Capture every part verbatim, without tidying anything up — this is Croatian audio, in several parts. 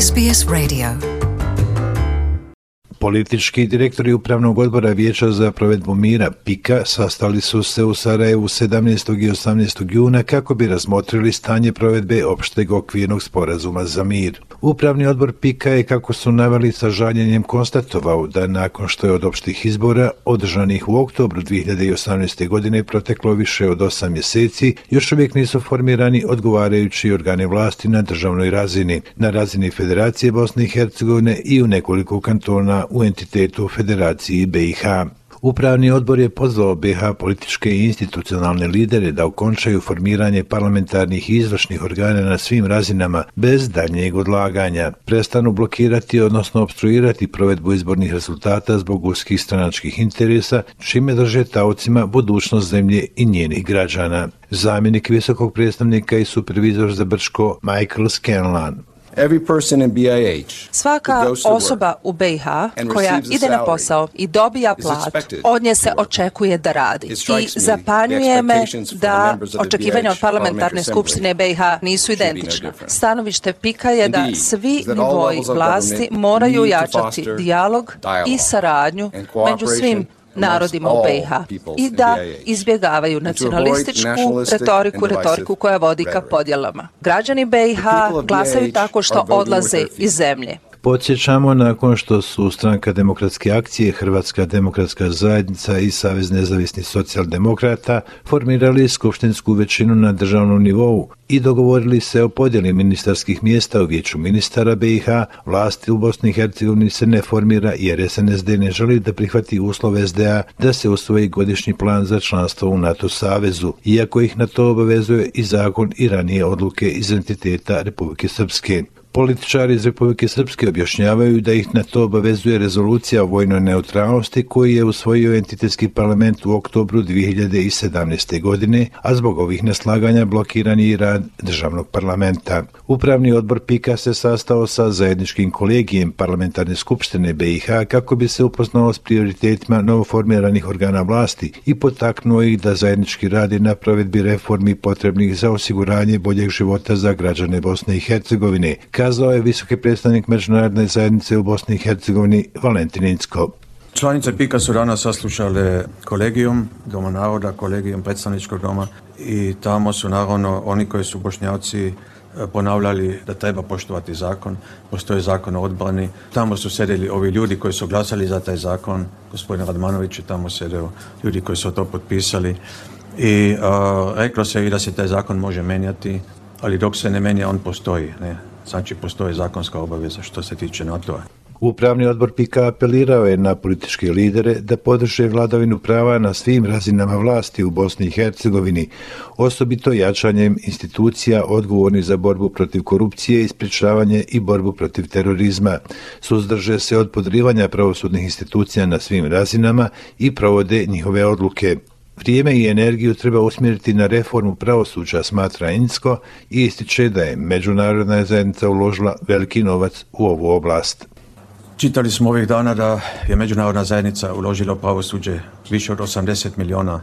S B S Radio. Politički direktori Upravnog odbora Vijeća za provedbu mira P I K A sastali su se u Sarajevu sedamnaestog i osamnaestog juna kako bi razmotrili stanje provedbe opšteg okvirnog sporazuma za mir. Upravni odbor P I K A je, kako su naveli, sa žaljenjem konstatovao da nakon što je od opštih izbora održanih u oktobru dvije hiljade osamnaeste. godine proteklo više od osam mjeseci, još uvijek nisu formirani odgovarajući organi vlasti na državnoj razini, na razini Federacije Bosne i Hercegovine i u nekoliko kantona u entitetu Federaciji B i H. Upravni odbor je pozvao B i H političke i institucionalne lidere da okončaju formiranje parlamentarnih i izvršnih organa na svim razinama bez daljnjeg odlaganja, prestanu blokirati odnosno opstruirati provedbu izbornih rezultata zbog uskih stranačkih interesa, čime drže taocima budućnost zemlje i njenih građana. Zamjenik visokog predstavnika i supervizor za Brčko Michael Scanlan: Svaka osoba u B i H koja ide na posao i dobija platu, od nje se očekuje da radi. I zapanjuje me da očekivanja od parlamentarne skupštine B i H nisu identična. Stanovište P I K A je da svi nivoji vlasti moraju jačati dijalog i saradnju među svim narodima u B i H i da izbjegavaju nacionalističku retoriku, retoriku koja vodi ka podjelama. Građani B i H glasaju tako što odlaze iz zemlje. Podsjećamo, nakon što su Stranka demokratske akcije, Hrvatska demokratska zajednica i Savez nezavisnih socijaldemokrata formirali skupštinsku većinu na državnom nivou i dogovorili se o podjeli ministarskih mjesta u Vijeću ministara B i H, vlasti u Bosni i Hercegovini se ne formira jer S N S D ne želi da prihvati uslov S D A da se usvoji godišnji plan za članstvo u NATO savezu, iako ih na to obavezuje i zakon i ranije odluke iz entiteta Republike Srpske. Političari iz Republike Srpske objašnjavaju da ih na to obavezuje rezolucija o vojnoj neutralnosti koju je usvojio entitetski parlament u oktobru dvije hiljade sedamnaeste. godine, a zbog ovih neslaganja blokiran je i rad državnog parlamenta. Upravni odbor P I K A se sastao sa zajedničkim kolegijem parlamentarne skupštine B i H kako bi se upoznao s prioritetima novoformiranih organa vlasti i potaknuo ih da zajednički radi na provedbi reformi potrebnih za osiguranje boljeg života za građane Bosne i Hercegovine, kazao je visoki predstavnik međunarodne zajednice u Bosni i Hercegovini Valentin Incko. Članice P I K A su danas saslušale kolegijum Doma naroda, kolegijum predstavničkog doma i tamo su naravno oni koji su Bošnjaci ponavljali da treba poštovati zakon, postoji zakon o odbrani. Tamo su sedeli ovi ljudi koji su glasali za taj zakon, gospodin Radmanović je tamo sedeo, ljudi koji su to potpisali i uh, reklo se i da se taj zakon može menjati, ali dok se ne menja on postoji, ne? Znači postoji zakonska obaveza što se tiče NATO-a. Upravni odbor P I K A apelirao je na političke lidere da podrže vladavinu prava na svim razinama vlasti u Bosni i Hercegovini, osobito jačanjem institucija odgovornih za borbu protiv korupcije, ispričavanje i borbu protiv terorizma, suzdrže se od podrivanja pravosudnih institucija na svim razinama i provode njihove odluke. Vrijeme i energiju treba usmjeriti na reformu pravosuđa, smatra Incko, i ističe da je međunarodna zajednica uložila veliki novac u ovu oblast. Čitali smo ovih dana da je međunarodna zajednica uložila u pravosuđe više od osamdeset milijuna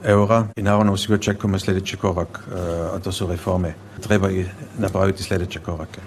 eura i naravno svi očekujemo sljedeći korak, a to su reforme. Treba i napraviti sljedeće korake.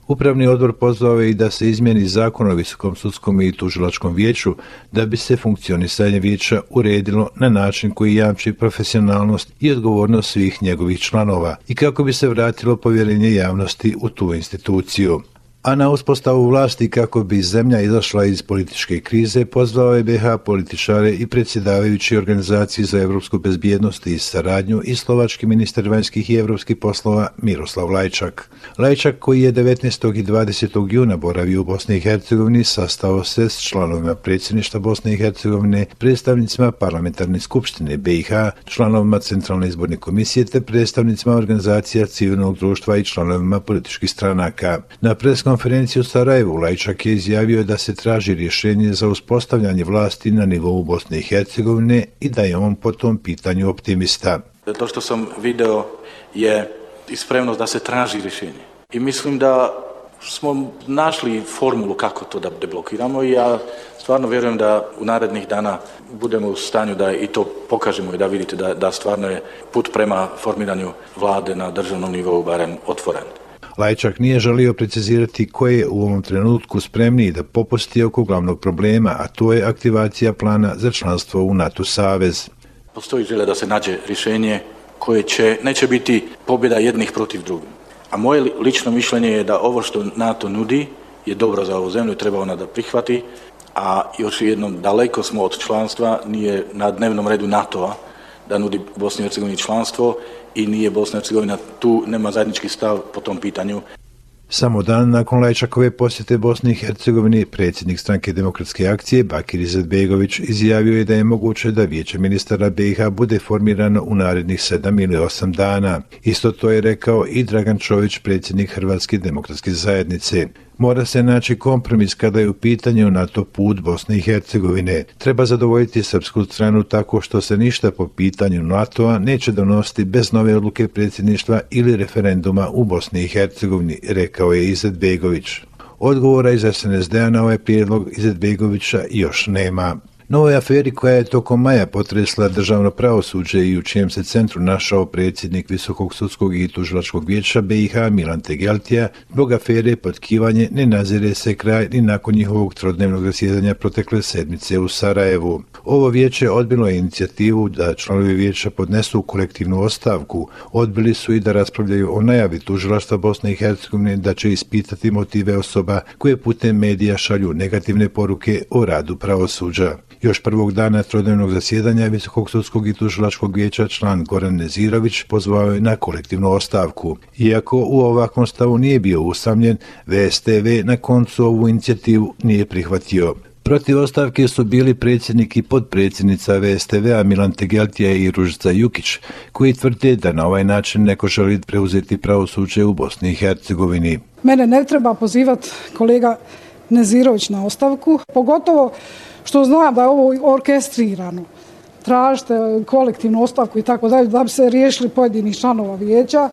Upravni odbor pozvao je i da se izmijeni zakon o visokom sudskom i tužilačkom vijeću da bi se funkcionisanje vijeća uredilo na način koji jamči profesionalnost i odgovornost svih njegovih članova i kako bi se vratilo povjerenje javnosti u tu instituciju. A na uspostavu vlasti kako bi zemlja izašla iz političke krize pozvao je B i H političare i predsjedavajući organizaciji za evropsku bezbjednost i saradnju i slovački ministar vanjskih i evropskih poslova Miroslav Lajčak. Lajčak, koji je devetnaestog i dvadesetog juna boravio u Bosni i Hercegovini, sastao se s članovima predsjedništva Bosne i Hercegovine, predstavnicima parlamentarne skupštine B i H, članovima Centralne izborne komisije te predstavnicima organizacija civilnog društva i članovima političkih stranaka. Na pres konferenciji u Sarajevu Lajčak je izjavio da se traži rješenje za uspostavljanje vlasti na nivou Bosne i Hercegovine i da je on po tom pitanju optimista. To što sam video je spremnost da se traži rješenje. I mislim da smo našli formulu kako to da deblokiramo i ja stvarno vjerujem da u narednih dana budemo u stanju da i to pokažemo i da vidite da, da stvarno je put prema formiranju vlade na državnom nivou barem otvoren. Lajčak nije želio precizirati ko je u ovom trenutku spremniji da popusti oko glavnog problema, a to je aktivacija plana za članstvo u NATO savez. Postoji želja da se nađe rješenje koje će, neće biti pobjeda jednih protiv drugih. A moje lično mišljenje je da ovo što NATO nudi je dobro za ovu zemlju, treba ona da prihvati, a još jednom daleko smo od članstva, nije na dnevnom redu NATO-a da nudi Bosni i Hercegovini članstvo i nije Bosna i Hercegovina tu, nema zajednički stav po tom pitanju. Samo dan nakon Lajčakove posjete Bosni i Hercegovini, predsjednik Stranke demokratske akcije Bakir Izetbegović izjavio je da je moguće da Vijeće ministara B i H bude formirano u narednih sedam ili osam dana. Isto to je rekao i Dragan Čović, predsjednik Hrvatske demokratske zajednice. Mora se naći kompromis kada je u pitanju NATO put Bosne i Hercegovine. Treba zadovoljiti srpsku stranu tako što se ništa po pitanju NATO-a neće donositi bez nove odluke predsjedništva ili referenduma u Bosni i Hercegovini, rekao je Izetbegović. Odgovora iz S N S D-a na ovaj prijedlog Izetbegovića još nema. Novoj aferi koja je tokom maja potresla državno pravosuđe i u čijem se centru našao predsjednik Visokog sudskog i tužilačkog vijeća B i H Milan Tegeltija, zbog afere potkivanje ne nazire se kraj ni nakon njihovog trodnevnog zasjedanja protekle sedmice u Sarajevu. Ovo vijeće odbilo je inicijativu da članovi vijeća podnesu kolektivnu ostavku. Odbili su i da raspravljaju o najavi tužilaštva Bosne i Hercegovine da će ispitati motive osoba koje putem medija šalju negativne poruke o radu pravosuđa. Još prvog dana trodnevnog zasjedanja Visokog sudskog i tužilačkog vijeća član Goran Nezirović pozvao je na kolektivnu ostavku. Iako u ovakvom stavu nije bio usamljen, V S T V na koncu ovu inicijativu nije prihvatio. Protiv ostavke su bili predsjednik i potpredsjednica V S T V-a Milan Tegeltija i Ružica Jukić, koji tvrde da na ovaj način neko želi preuzeti pravosuđe u Bosni i Hercegovini. Mene ne treba pozivati kolega Nezirović na ostavku, pogotovo što znam da je ovo orkestrirano. Tražite kolektivnu ostavku i tako dalje da bi se riješili pojedinih članova vijeća.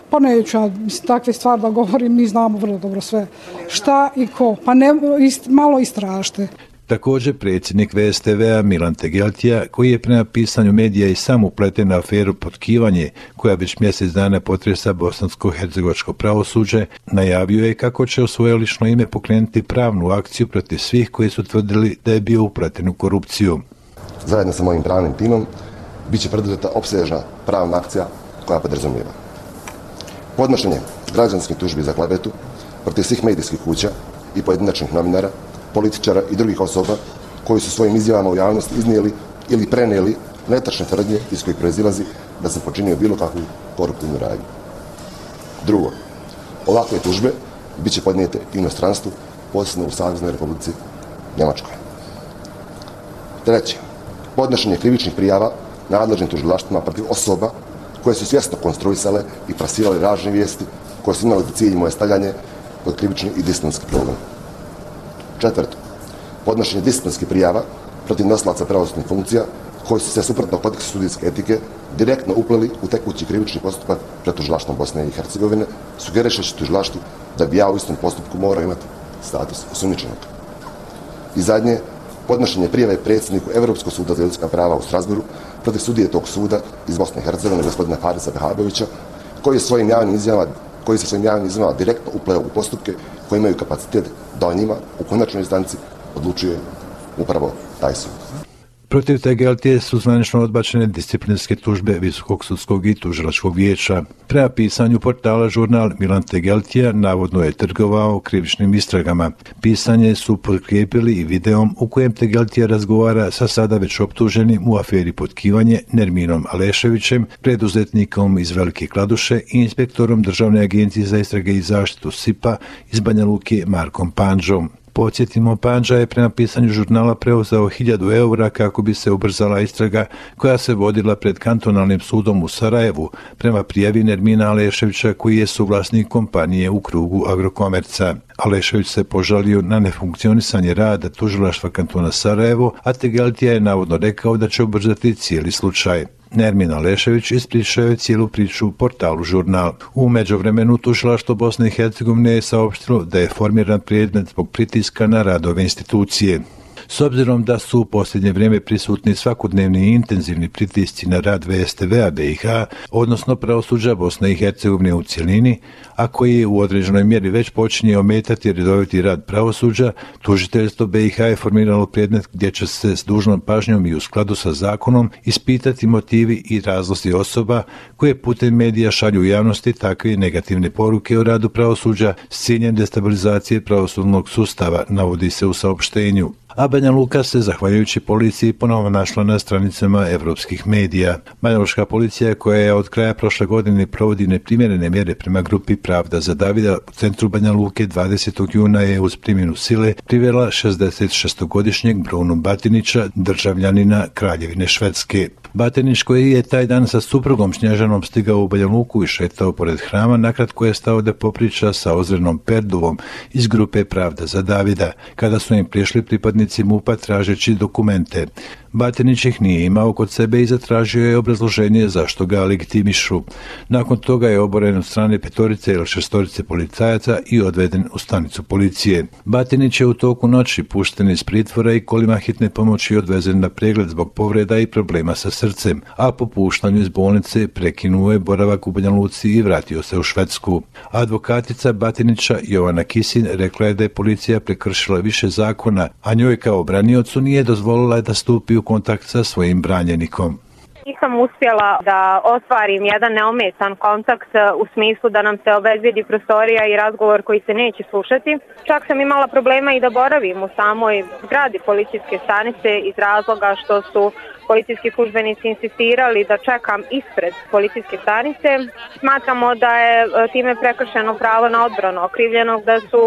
Pa neću ja takve stvari da govorim, mi znamo vrlo dobro sve šta i ko, pa ne, ist, malo istražite. Također predsjednik V S T V-a Milan Tegeltija, koji je prema pisanju medija i sam upleten na aferu potkivanje, koja već mjesec dana potresa bosansko-hercegovačko pravosuđe, najavio je kako će u svoje lično ime pokrenuti pravnu akciju protiv svih koji su tvrdili da je bio upleten u korupciju. Zajedno sa mojim pravnim timom bit će preduzeta opsežna pravna akcija koja podrazumijeva podnošenje građanskih tužbi za klevetu protiv svih medijskih kuća i pojedinačnih novinara, političara i drugih osoba koji su svojim izjavama u javnosti iznijeli ili prenijeli netačne tvrdnje iz kojih proizilazi da sam počinio bilo kakvu koruptivnu radnju. Drugo, ovakve tužbe bit će podnijete u inostranstvu, posebno u Saveznoj Republici Njemačkoj. Treće, podnošenje krivičnih prijava nadležnim tužilaštvima protiv osoba koje su svjesno konstruisale i plasirale lažne vijesti koje su imale za cilj moje stavljanje pod krivični i disciplinski progon. Četvrto, podnošenje disciplinskih prijava protiv nosilaca pravosudnih funkcija koji su se suprotno kodeksu sudijske etike direktno upleli u tekući krivični postupak pred tužilaštvom Bosne i Hercegovine, sugerišući tužilaštvu da bi ja u istom postupku morao imati status osumnjičenog. I zadnje, podnošenje prijave predsjedniku Europskog suda za ljudska prava u Strasburu protiv sudije tog suda iz Bosne i Hercegovine, gospodina Farisa Behabevića, koji je svojim javnim izjavama, koji se svojim javnim izjavama direktno upleo u postupke koji imaju kapacitet da o njima u konačnoj instanci odlučuje upravo taj sud. Protiv Tegeltije su zvanično odbačene disciplinske tužbe Visokog sudskog i tužilačkog vijeća. Prema pisanju portala Žurnal, Milan Tegeltija navodno je trgovao krivičnim istragama. Pisanje su potkrijepili i videom u kojem Tegeltija razgovara sa sada već optuženim u aferi potkivanje Nerminom Aleševićem, preduzetnikom iz Velike Kladuše i inspektorom Državne agencije za istrage i zaštitu S I P-a iz Banja Luke Markom Pandžom. Podsjetimo, Pandža je prema pisanju žurnala preuzeo hiljadu eura kako bi se ubrzala istraga koja se vodila pred kantonalnim sudom u Sarajevu prema prijavi Nermina Aleševića, koji je suvlasnik kompanije u krugu Agrokomerca. Alešević se požalio na nefunkcionisanje rada tužilaštva kantona Sarajevo, a Tegeltija je navodno rekao da će ubrzati cijeli slučaj. Nermin Alešević ispričao je cijelu priču u portalu Žurnal. U međuvremenu tužilaštvo Bosne i Hercegovine je saopštilo da je formiran predmet zbog pritiska na rad ove institucije. S obzirom da su u posljednje vrijeme prisutni svakodnevni i intenzivni pritisci na rad V S T V-a B i H, odnosno pravosuđa Bosne i Hercegovine u cjelini, a koji u određenoj mjeri već počinje ometati redoviti rad pravosuđa, tužiteljstvo B i H je formiralo predmet gdje će se s dužnom pažnjom i u skladu sa zakonom ispitati motivi i razlozi osoba koje putem medija šalju u javnosti takve negativne poruke o radu pravosuđa s ciljem destabilizacije pravosudnog sustava, navodi se u saopštenju. A Banja Luka se, zahvaljujući policiji, ponovno našla na stranicama evropskih medija. Banjaluška policija, koja je od kraja prošle godine provodi neprimjerene mjere prema grupi Pravda za Davida u centru Banja Luke, dvadesetog juna je uz primjenu sile privela šezdesetšestogodišnjeg Brunu Batinića, državljanina Kraljevine Švedske. Batinić, koji je taj dan sa suprugom Snježanom stigao u Banja Luku i šetao pored hrama, nakratko je stao da popriča sa Ozrenom Perduvom iz grupe Pravda za Davida, kada su im prišli pripadnici MUP-a tražeći dokumente. Batinić ih nije imao kod sebe i zatražio je obrazloženje zašto ga legitimišu. Nakon toga je oboren od strane petorice ili šestorice policajaca i odveden u stanicu policije. Batinić je u toku noći pušten iz pritvora i kolima hitne pomoći odvezen na pregled zbog povreda i problema sa srcem, a po puštanju iz bolnice prekinuo je boravak u Banja Luci i vratio se u Švedsku. Advokatica Batinića Jovana Kisin rekla je da je policija prekršila više zakona, a njoj kao braniocu nije dozvolila da stupi u kontakt sa svojim branjenikom. Nisam uspjela da ostvarim jedan neometan kontakt u smislu da nam se obezbijedi prostorija i razgovor koji se neće slušati. Čak sam imala problema i da boravim u samoj zgradi policijske stanice iz razloga što su policijski službenici insistirali da čekam ispred policijske stanice. Smatramo da je time prekršeno pravo na odbranu okrivljenog, da su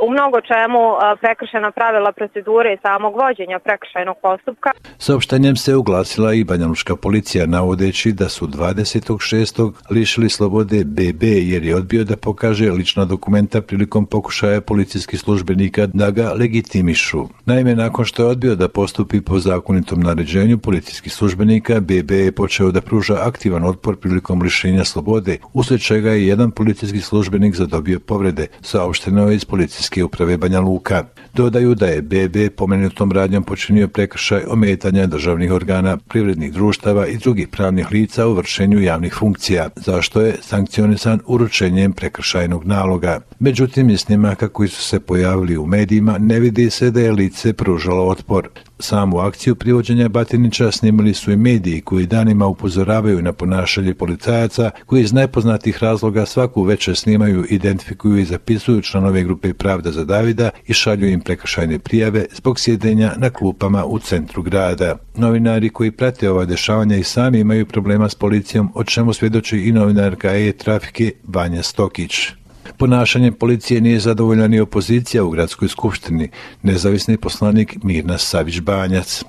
u mnogo čemu prekršena pravila procedure i samog vođenja prekršajnog postupka. Saopštenjem se uglasila i banjaluška policija, navodeći da su dvadesetog šestog lišili slobode B B jer je odbio da pokaže lična dokumenta prilikom pokušaja policijskih službenika da ga legitimišu. Naime, nakon što je odbio da postupi po zakonitom naređenju policijskih službenika, B B je počeo da pruža aktivan otpor prilikom lišenja slobode, uslijed čega je jedan policijski službenik zadobio povrede, saopšteno je iz policijske uprave Banja Luka. Dodaju da je B B pomenutom radnjom počinio prekršaj ometanja državnih organa, privrednih društava i drugih pravnih lica u vršenju javnih funkcija, zašto je sankcionisan uručenjem prekršajnog naloga. Međutim, iz snimaka koji su se pojavili u medijima ne vidi se da je lice pružalo otpor. Samu akciju privođenja Batinića snimili su i mediji koji danima upozoravaju na ponašanje policajaca koji iz nepoznatih razloga svaku večer snimaju, identifikuju i zapisuju članove grupe Pravda za Davida i šalju im prekršajne prijave zbog sjedenja na klupama u centru grada. Novinari koji prate ova dešavanja i sami imaju problema s policijom, o čemu svjedoči i novinarka E-trafike Vanja Stokić. Ponašanjem policije nije zadovoljna ni opozicija u gradskoj skupštini, nezavisni poslanik Mirna Savić-Banjac.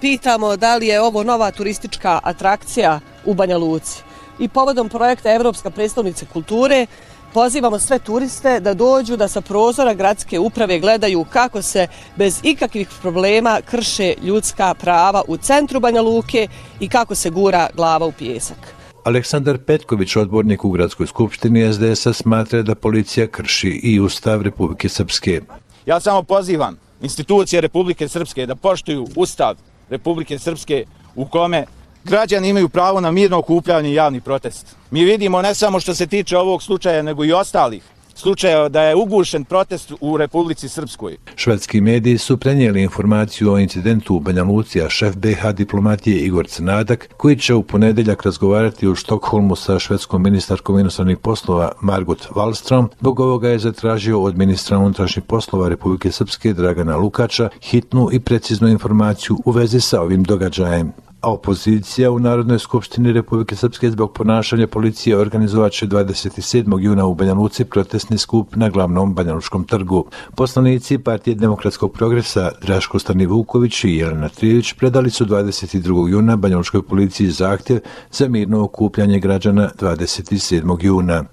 Pitamo da li je ovo nova turistička atrakcija u Banja Luci. I povodom projekta Evropska predstavnica kulture pozivamo sve turiste da dođu, da sa prozora gradske uprave gledaju kako se bez ikakvih problema krše ljudska prava u centru Banja Luke i kako se gura glava u pijesak. Aleksandar Petković, odbornik u gradskoj skupštini S D S-a, smatra da policija krši i Ustav Republike Srpske. Ja samo pozivam institucije Republike Srpske da poštuju Ustav Republike Srpske u kome građani imaju pravo na mirno okupljanje i javni protest. Mi vidimo ne samo što se tiče ovog slučaja, nego i ostalih slučajeva da je ugušen protest u Republici Srpskoj. Švedski mediji su prenijeli informaciju o incidentu u Banja Luci, a šef B H diplomatije Igor Crnadak, koji će u ponedjeljak razgovarati u Štokholmu sa švedskom ministarkom inostranih poslova Margot Wallström, zbog ovoga je zatražio od ministra unutrašnjih poslova Republike Srpske Dragana Lukača hitnu i preciznu informaciju u vezi sa ovim događajem. A opozicija u Narodnoj skupštini Republike Srpske zbog ponašanja policije organizovat će dvadeset sedmog juna u Banja Luci protestni skup na glavnom Banjalučkom trgu. Poslanici Partije demokratskog progresa Draško Stanivuković i Jelena Trivić predali su dvadeset drugog juna Banjalučkoj policiji zahtjev za mirno okupljanje građana dvadeset sedmog juna.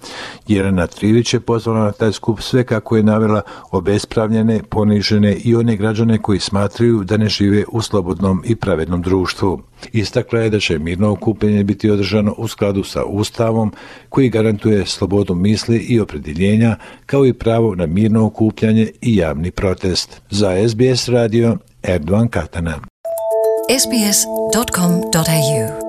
Jelena Trivić je pozvala na taj skup sve, kako je navela, obespravljene, ponižene i one građane koji smatraju da ne žive u slobodnom i pravednom društvu. Istakla je da će mirno okupljanje biti održano u skladu sa Ustavom koji garantuje slobodu misli i opredjeljenja, kao i pravo na mirno okupljanje i javni protest. Za S B S radio Erdogan Katana. s b s dot com dot a u